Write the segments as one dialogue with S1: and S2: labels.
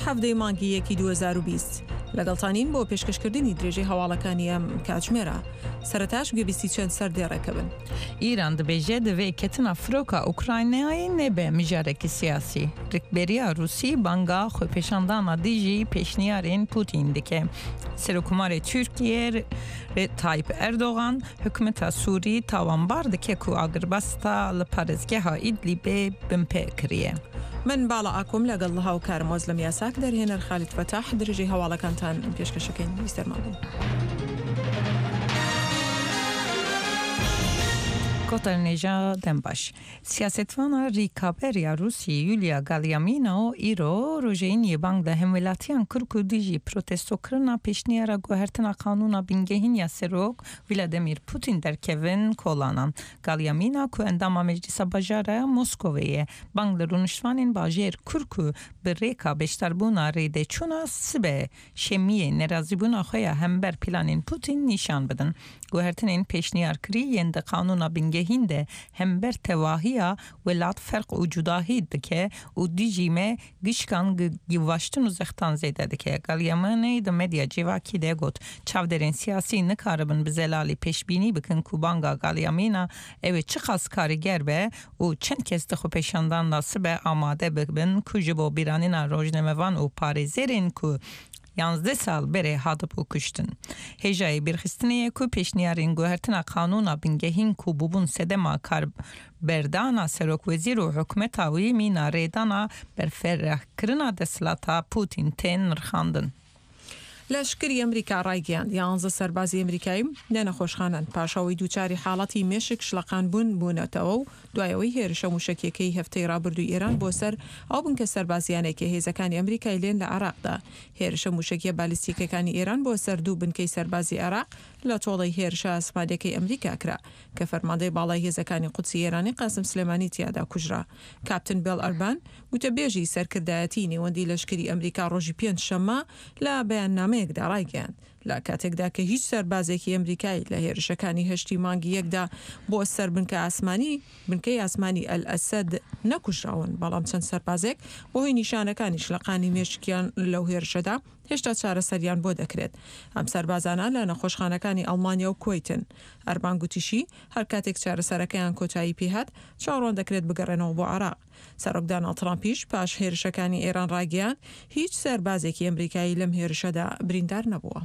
S1: حەڤدەی مانگی یەکی 2020. لەگەڵتانین بۆ پێشکەشکردنی درێژەی هەواڵەکانی ئەم کاتژمێرە. سەرەتاش گوێبیستی چەند سەردێڕێکە بن.
S2: ئیران دبێژێ دڤێ کەتنا فرۆکا ئوکراینایێ نەبێ مژارێکی سیاسی. رکبەرییا رووسی بانگا خۆپێشاندانا دژی پێشنیارێن پوتین دکێ. Serokkomarê Tirkiyê Tayyip Erdogan hikûmeta Sûrî tawanbar dike ku agirbesta li parêzgeha Îdlîbê binpê kiriye.
S1: من باڵا ئاکۆم لەگەڵ هاوکارم ئۆزلەم یاساک دەرهێنەر خالید فەتاح درێژەی هەواڵەکانتان پێشکەشەکەین بیسەرمان بن.
S2: Gotar Nêja Dembaş. Siyasetvana rîkaber ya Rûsî Yulia Galyamino îro rojê Îniyê bang li hemwelatiyan kir ku dijî protestokirina pêşniyara guhertina qanûna bingehîn ya Serok Vladimir Putin derkevin kolanan. Galyamina ku endama Meclisa Bajar a Moskovê ye, bang li rûniştvanên bajêr kir ku bi rêka beşdarbûna rêdeçûna sibe şemiyê nerazîbûna xwe ya hember planên Putin nîşan bidin. Guhertinên pêşniyarkirî yên di qanûna bingehîn de hember tevahiya welat ferq û cudahî dike û dijî me gişkan givaştin û zextan zêde dike. Galyamanê di medya civakî de got, Çavdêrên siyasî nikaribin bi zelalî pêşbînî bikin ku banga Galyamîna ew ê çiqas karîger be û çend kes di xwepêşandan de sibe amade bibin ku ji bo bîranîna rojnamevan û parêzerên ku yanzdeh sal berê hatibû kuştin. Hêjayê bîrxistinê ye ku pêşniyarên guhertina qanûna bingehîn ku bûbûn sedema karberdana serokwezîr û hikûmeta wî mîna rêdana berferehkirina desthilata Pûtîn tên nirxandin.
S1: لەشکری ئەمریکا ڕایگەیاند، یانزە سەربازی ئەمریکایی لە نەخۆشخانەن پاش ئەوەی دووچاری حاڵەتی مێشک شڵەقان بوون بوونەتەوە و دوای ئەوەی هێرشە مووشەکییەکەی هەفتەی ڕابردووی ئێران بۆ سەر ئەو بنکە سەربازییانەی کە هێزەکانی ئەمریکای لێن لە عێراقدا هێرشە مووشەکییە بالیستیکەکانی ئێران بۆ سەر دوو بنکەی سەربازی عێراق لە تۆڵەی هێرشە ئاسمانیەکەی ئەمریکا کرا کە فەرماندەی باڵای هێزەکانی قودسی ئێرانی قاسم سلێمانی تیادا کوژرا. کاپتن بێڵ ئەربان، گوتەبێژی سەرکردایەتیی نێوەندی لەشکری ئەمریکا ڕۆژی پێنج شەممە لە بەیاننامەیەکدا ڕایگەیاند، لە کاتێکدا کە هیچ سەربازێکی ئەمریکایی لە هێرشەکانی هەشتی مانگی یەکدا بۆ سەر بنکە ئاسمانی بنکەی ئاسمانی ئەلئەسەد نەکوژراون، بەڵام چەند سەربازێک بەهۆی نیشانەکانی شلەقانی مێشکیان لەو هێرشەدا هێشتا چارەسەریان بۆ دەکرێت. ئەم سەربازانە لە نەخۆشخانەکانی ئەڵمانیا و کوەیتن. ئەربان گوتیشی، هەر کاتێک چارەسەرەکەیان کۆتایی پێهات، چاوەڕوان دەکرێت بگەڕێنەوە بۆ عێراق. سەرۆک داناڵد ترامپیش پاش هێرشەکانی ئێران ڕایگەیاند، هیچ سەربازێکی ئەمریکایی لەم هێرشەدا بریندار نەبووە.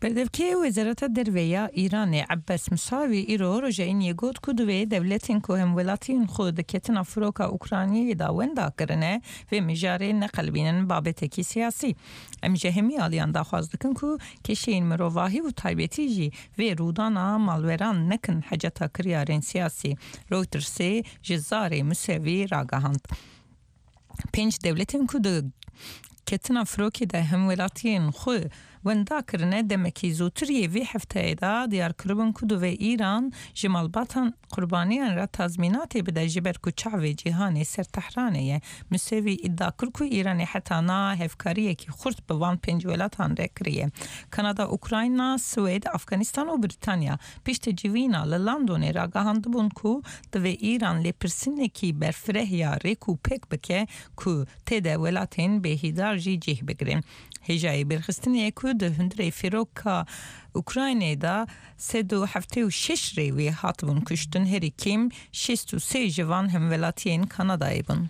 S2: Berdevkê Wezareta Derve ya Îranê Ebbas Musavî îro roja Îniyê got ku divê dewletên ku hemwelatiyên xwe di ketina firoka Ukraynayê de wenda kirine vê mijarê neqelibînin babetekî siyasî. Em ji hemî aliyan daxwaz dikin ku kêşeyên mirovahî û taybetî jî vê rûdana malweran nekin heceta kiryarên siyasî, Reutersê ji zarê Musevî ragihand. Pênc dewletên ku di ketina firokê de hemwelatiyên xwe wenda kirine demekî zûtir yê vê hefteyê de diyar kiribûn ku divê Îran ji malbatan qurbaniyan re tazmînatê bide ji ber ku çavê cîhanê ser Tehranê ye. Musevî îdia kir ku Îranê heta niha hevkariyekî xurt bi van pênc welatan re kiriye, Kanada, Ukrayna, Swêd, Afganistan û Brîtanya. Piştî civîna li Londonê ragihandibûn ku divê Îran lêpirsînekî berfireh ya rêk û pêk bike ku tê de welatên bêhîdar jî cih bigirin. Hêjayê bêrxistinê ye ku di hundirê firoka Ukraynayê de 176 rêwî hatibûn kuştin, herî kêm 63 ji van hemwelatiyên Kanadayê bûn.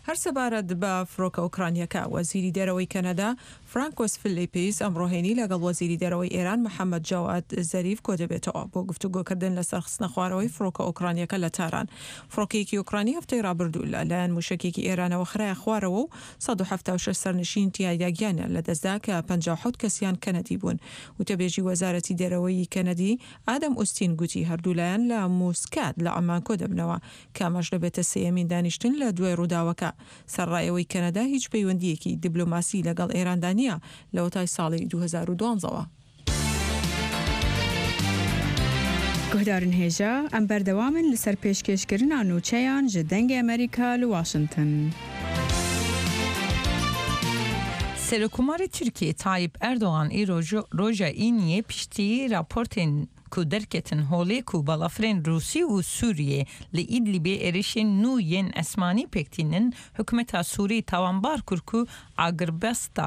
S1: هەر سەبارەت بە فڕۆکە ئۆکرانییەکە، وەزیری دەرەوەی کەنەدا، فرانکۆس فلیپیس ئەمڕۆ هەینی لەگەڵ وەزیری دەرەوەی ئێران محەمەد جەواد زەریف کۆدەبێتەوە بۆ گفتوگۆکردن لەسەر خستنەخوارەوەی فڕۆکە ئۆکرانییەکە لە تاران. فڕۆکەیەکی ئۆکرانی هەفتەی ڕابردوو لە لایەن موشەکێکی ئێرانەوە خرایە خوارەوە و 176 سەرنشین تیایدا گیانیان لەدەستدا کە 57 کەسیان کەنەدی بوون. وتەبێژی وەزارەتی دەرەوەی کەنەدی ئادەم ئوستین گوتی هەردوولایەن لە موسکات لە عەمان کۆدەبنەوە کە ئەمەش دەبێتە سێیەمین دانیشتن لە دوای ڕووداوەکە، سەرەڕای ئەوەی کەنەدا هیچ پەیوەندییەکی دیبلۆماسی لەگەڵ ئێراندا نییە لەوەتای ساڵی 2012 وە.
S3: Guhdarên hêja, em berdewam in li ser pêşkêşkirina nûçeyan ji Dengê Amerîka li Washington.
S2: Serokkomarê Tirkiyê Tayyip Erdogan îro roja Îniyê piştî raportên ku derketin holê ku balafirên Rûsî û Sûriyê li Îdlîbê êrişên nû yên esmanî pêk tînin, hikûmeta Sûrî tawanbar kir ku agirbesta.